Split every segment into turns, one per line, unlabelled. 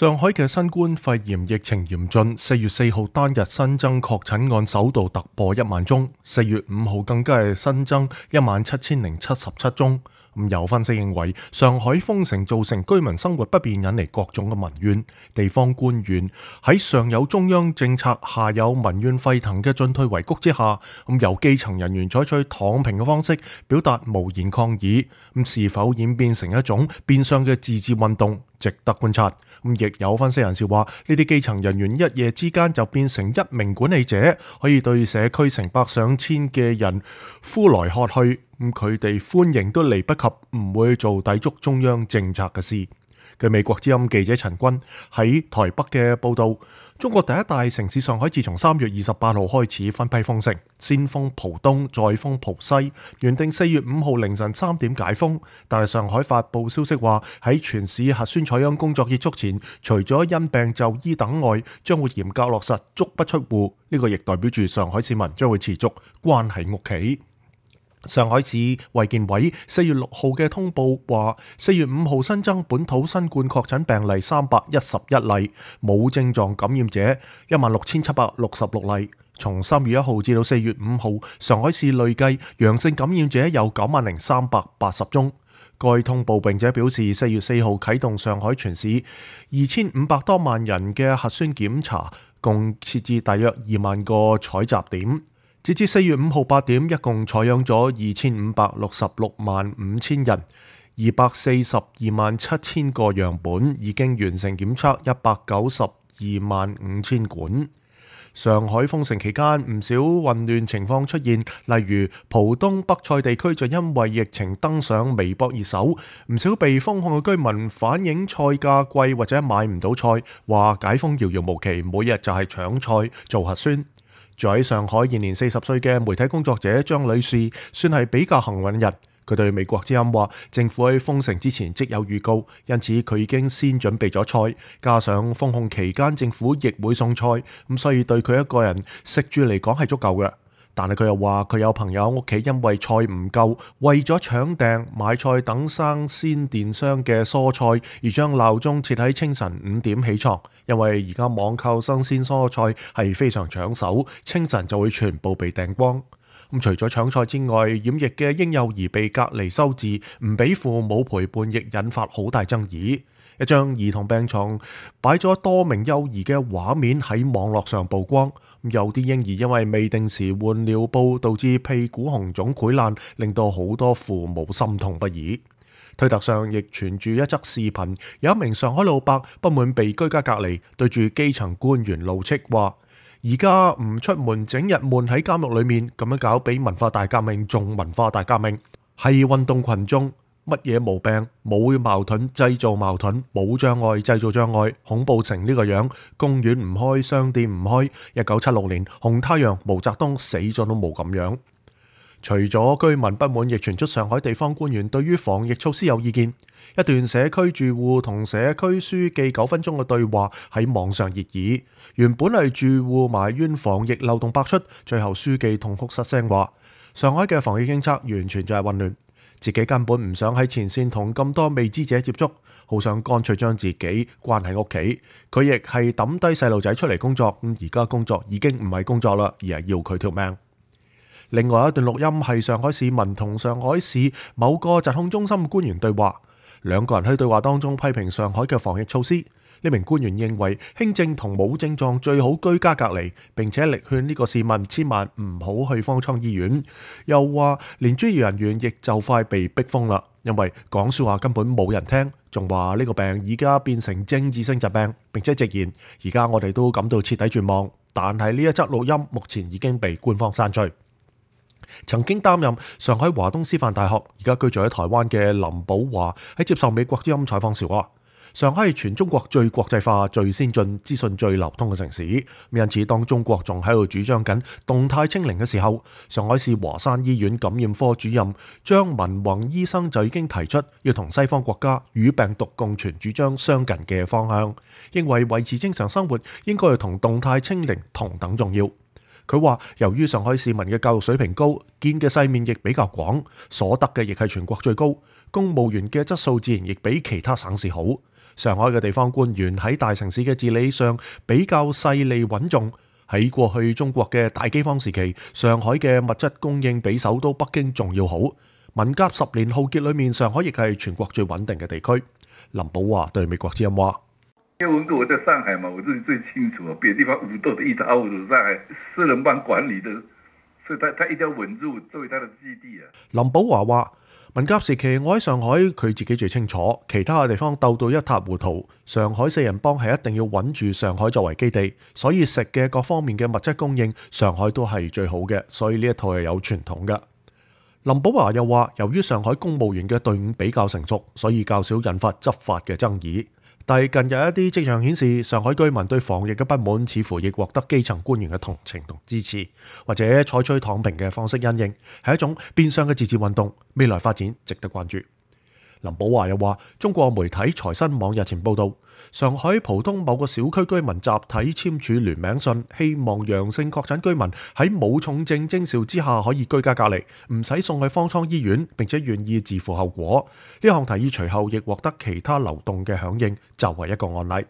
上海嘅新冠肺炎疫情嚴峻，4月4號單日新增確診案首度突破1萬宗，4月5號更加係新增17077宗。有分析認為，上海封城造成居民生活不便，引嚟各種嘅民怨。地方官員喺上有中央政策，下有民怨沸騰嘅進退維谷之下，由基層人員採取躺平嘅方式表達無言抗議，是否演變成一種變相嘅自治運動，值得觀察。亦有分析人士話，呢啲基層人員一夜之間就變成一名管理者，可以對社區成百上千嘅人呼來喝去，佢哋歡迎都嚟不及唔會做抵觸中央政策嘅事。據美國之音記者陳君喺台北嘅報導，中國第一大城市上海自從3月28號開始分批封城，先封浦東，再封浦西，原定4月5號凌晨3點解封，但係上海發布消息話喺全市核酸採樣工作結束前，除咗因病就醫等外，將會嚴格落實足不出戶。呢個亦代表住上海市民將會持續關喺屋企。上海市衛健委4月6號嘅通報話，4月5號新增本土新冠確診病例311例，冇症狀感染者16766例。從3月1號至到4月5號，上海市累計陽性感染者有90380宗。該通報並且表示，4月4號啟動上海全市2500多萬人嘅核酸檢查，共設置大約2萬個採集點。截至4月5號8點，一共採樣咗2566萬5千人，242萬7千個樣本，已經完成檢測192萬5千管。上海封城期間，唔少混亂情況出現，例如浦東北蔡地區就因為疫情登上微博熱搜，唔少被封控嘅居民反映菜價貴或者買唔到菜，話解封遙遙無期，每日就係搶菜做核酸。住喺上海現年40歲嘅媒體工作者張女士，算係比較幸運人。佢對美國之音話，政府喺封城之前即有預告，因此佢已經先準備咗菜，加上封控期間政府亦會送菜，所以對佢一個人食住嚟講係足夠嘅。但係佢又話，佢有朋友屋企因為菜唔夠，為咗搶訂買菜等生鮮電商嘅蔬菜，而將鬧鐘設喺清晨5點起床，因為而家網購新鮮蔬菜係非常搶手，清晨就會全部被訂光。除咗搶菜之外，染疫嘅嬰幼兒被隔離收治，唔俾父母陪伴，亦引發好大爭議。一張兒童病床擺咗多名幼兒嘅畫面喺網絡上曝光，有啲嬰兒因為未定時換尿布，導致屁股紅腫潰爛，令到好多父母心痛不已。推特上亦傳住一則視頻，有一名上海老伯不滿被居家隔離，對住基層官員怒斥話：而家唔出門，整日悶喺監獄裏面，咁樣搞比文化大革命仲文化大革命，係運動群眾。乜嘢毛病？冇矛盾製造矛盾，冇障礙製造障礙，恐怖成呢個樣。公園唔開，商店唔開。1976年紅太陽毛澤東死咗都冇咁樣。除咗居民不滿，亦傳出上海地方官員對於防疫措施有意見。一段社區住戶同社區書記9分鐘嘅對話喺網上熱議。原本係住戶埋怨防疫漏洞百出，最後書記痛哭失聲話：上海嘅防疫政策完全就係混亂。自己根本唔想喺前線同咁多未知者接觸，好想乾脆將自己關喺屋企。佢亦係抌低細路仔出嚟工作，而家工作已經唔係工作啦，而係要佢條命。另外一段錄音係上海市民同上海市某個疾控中心嘅官員對話，兩個人喺對話當中批評上海嘅防疫措施。呢名官員認為輕症同冇症狀最好居家隔離，並且力勸呢個市民千萬唔好去方艙醫院。又話連專業人員亦就快被逼瘋啦，因為講說話根本冇人聽。仲話呢個病而家變成政治性疾病，並且直言而家我哋都感到徹底絕望。但係呢一則錄音目前已經被官方刪除。曾經擔任上海華東師範大學，而家居住喺台灣嘅林寶華喺接受美國之音採訪時話：上海係全中國最國際化、最先進、資訊最流通嘅城市。因此，當中國仲喺度主張緊動態清零嘅時候，上海市華山醫院感染科主任張文宏醫生就已經提出要同西方國家與病毒共存主張相近嘅方向，認為維持正常生活應該要同動態清零同等重要。佢話由於上海市民嘅教育水平高，見嘅世面亦比較廣，所得嘅亦係全國最高，公務員嘅質素自然亦比其他省市好。上海嘅地方官員喺大城市嘅治理上比較勢利穩重。喺過去中國嘅大饑荒時期，上海嘅物質供應比首都北京仲要好。文革10年浩劫裏面，上海亦係全國最穩定嘅地區。林保華對美國之音話：
因為文革我在上海嘛，我自己最清楚，別的地方武鬥的一塌糊塗，上海私人幫管理的，所以他一定要穩住作為他的基地啊。
林保華話：文革時期我喺上海，佢自己最清楚，其他嘅地方鬥到一塌糊塗，上海四人幫係一定要穩住上海作為基地，所以食嘅各方面嘅物質供應，上海都係最好嘅，所以呢一套係有傳統嘅。林保華又話，由於上海公務員嘅隊伍比較成熟，所以較少引發執法嘅爭議。但係近日一啲跡象顯示，上海居民對防疫嘅不滿似乎亦獲得基層官員嘅同情同支持，或者採取躺平嘅方式因應，係一種變相嘅自治運動。未來發展值得關注。林保華又話，中國媒體財新網日前報道，上海浦東某個小區居民集體簽署聯名信，希望陽性確診居民喺冇重症徵兆之下可以居家隔離，唔使送去方艙醫院，並且願意自負後果。呢項提議隨後亦獲得其他流動嘅響應，就係一個案例。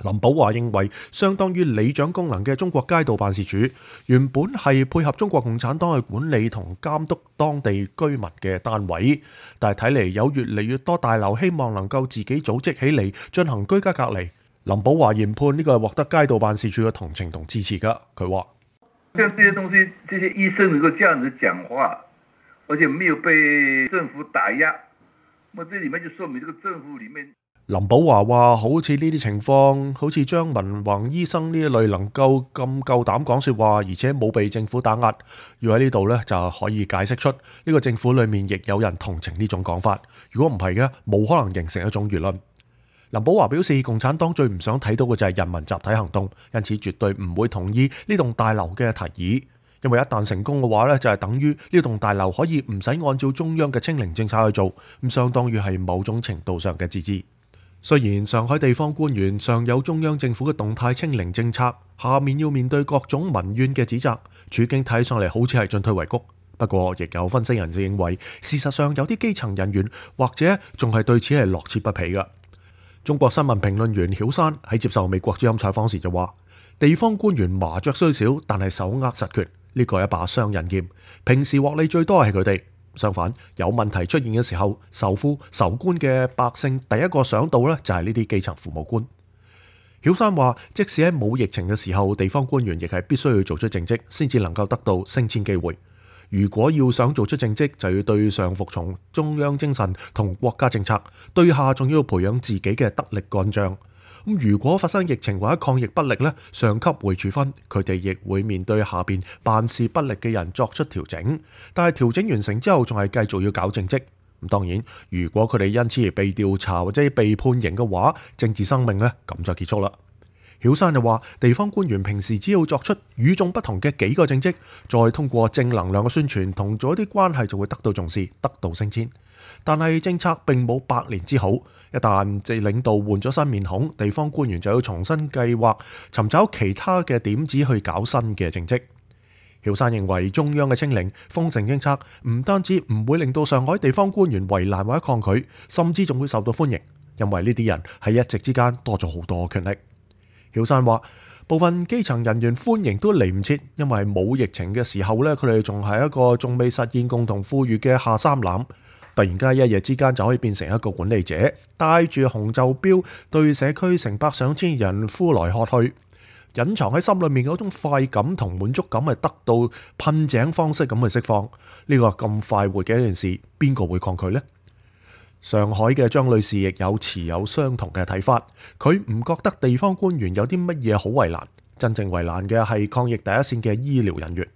林保華認為，相當於里長功能嘅中國街道辦事處，原本係配合中國共產黨去管理同監督當地居民嘅單位，但係睇嚟有越嚟越多大樓希望能夠自己組織起嚟進行居家隔離。林保華研判呢個係獲得街道辦事處嘅同情同支持㗎。佢話：
像這些東西，這些醫生能夠這樣子講話，而且沒有被政府打壓，咁這裡面就說明這個政府裡面。
林保華話：好似呢啲情況，好似張文宏醫生呢一類能夠咁夠膽講說話，而且冇被政府打壓，要喺呢度呢，就可以解釋出呢個政府裏面亦有人同情呢種講法。如果唔係嘅，冇可能形成一種輿論。林保華表示，共產黨最唔想睇到嘅就係人民集體行動，因此絕對唔會同意呢棟大樓嘅提議，因為一旦成功嘅話呢，就係等於呢棟大樓可以唔使按照中央嘅清零政策去做，咁相當於係某種程度上嘅自治。雖然上海地方官員上有中央政府嘅動態清零政策，下面要面對各種民怨嘅指責，處境睇上嚟好似係進退維谷。不過，亦有分析人士認為，事實上有啲基層人員或者仲係對此係樂此不疲嘅。中國新聞評論員曉山喺接受美國之音採訪時就話：地方官員麻雀雖少，但係手握實權，呢個係一把雙刃劍，平時獲利最多係佢哋。相反，有問題出現嘅時候，受夫受官嘅百姓第一個想到呢就係呢啲基層父母官。曉山話，即使喺冇疫情嘅時候，地方官員亦係必須要做出政績，先至能夠得到升遷機會。如果要想做出政績，就要對上服從中央精神同國家政策，對下仲要培養自己嘅得力幹將。如果發生疫情或者抗疫不力呢，上級會處分，佢哋亦會面對下邊辦事不力嘅人作出調整。但係調整完成之後，仲係繼續要搞政績。咁當然，如果佢哋因此而被調查或者被判刑嘅話，政治生命呢咁就結束啦。曉山就話，地方官員平時只要作出與眾不同嘅幾個政績，再通過正能量嘅宣傳同做一啲關係，就會得到重視，得到升遷。但係政策並冇百年之好，一旦領導換咗新面孔，地方官員就要重新計劃，尋找其他嘅點子去搞新嘅政績。曉山認為，中央嘅清零封城政策唔單止唔會令到上海地方官員為難或者抗拒，甚至仲會受到歡迎，因為呢啲人喺一夕之間多咗好多權力。曉山話，部分基層人員歡迎都嚟唔切，因為冇疫情嘅時候呢，佢哋仲係一個仲未實現共同富裕嘅下三濫。突然間一夜之間就可以變成一個管理者，帶住紅袖標對社區成百上千人呼來喝去，隱藏喺心裏面嗰種快感同滿足感係得到噴井方式咁去釋放。呢個咁快活嘅一件事，邊個會抗拒呢？上海嘅張女士亦有持有相同嘅睇法，佢唔覺得地方官員有啲乜嘢好為難，真正為難嘅係抗疫第一線嘅醫療人員。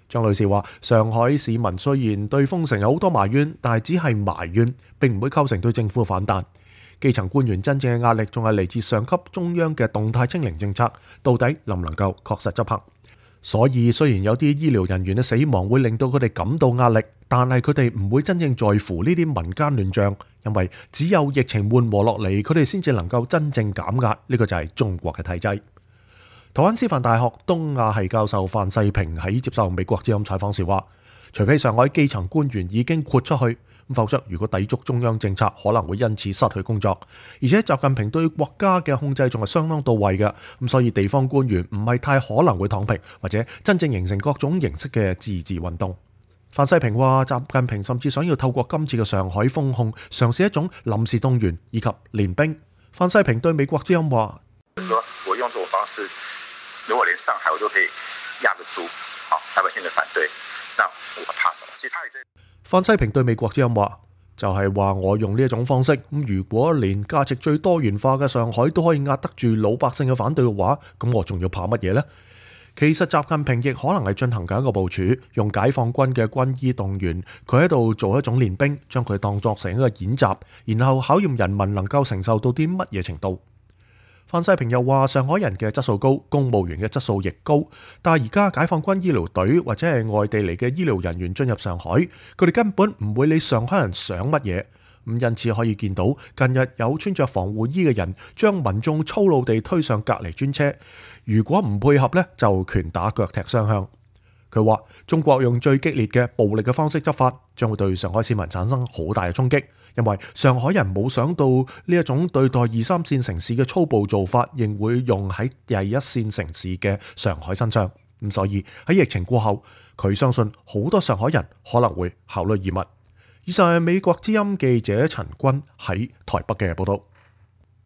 張女士話，上海市民雖然對封城有好多埋怨，但係只係埋怨，並唔會構成對政府嘅反彈。基層官員真正嘅壓力仲係嚟自上級中央嘅動態清零政策，到底能唔能夠確實執行？所以雖然有啲醫療人員嘅死亡會令到佢哋感到壓力，但係佢哋唔會真正在乎呢啲民間亂象，因為只有疫情緩和落嚟，佢哋先至能夠真正減壓。呢個就係中國嘅體制。台灣師範大學東亞系教授范世平喺接受美國之音採訪時話，除非上海基層官員已經豁出去，否則如果抵觸中央政策，可能會因此失去工作。而且習近平對國家嘅控制仲係相當到位嘅，咁所以地方官員唔係太可能會躺平，或者真正形成各種形式嘅自治運動。范世平話，習近平甚至想要透過今次嘅上海封控，嘗試一種臨時動員以及練兵。范世平對美國之音話：
我用這種方式，如果連上海我都可以壓得住，好，老百姓的反對，那我怕什麼？其他
范世平對美國之音話，就係話我用呢一種方式，咁如果連價值最多元化嘅上海都可以壓得住老百姓嘅反對嘅話，咁我仲要怕乜嘢呢？其實習近平亦可能係進行緊一個部署，用解放軍嘅軍醫動員，佢喺度做一種練兵，將佢當作成一個演習，然後考驗人民能夠承受到啲乜嘢程度。范世平又話，上海人嘅質素高，公務員嘅質素亦高，但係而家解放軍醫療隊或者係外地嚟嘅醫療人員進入上海，佢哋根本唔會理上海人想乜嘢。因此可以見到，近日有穿着防護衣嘅人將民眾粗魯地推上隔離專車，如果唔配合呢，就拳打腳踢雙向。佢話中國用最激烈嘅暴力嘅方式執法，將會對上海市民產生好大嘅衝擊，因為上海人冇想到呢一種對待二三線城市嘅粗暴做法，仍會用喺第一線城市嘅上海身上。咁所以喺疫情過後，佢相信好多上海人可能會考慮移民。以上係美國之音記者陳君喺台北嘅報道。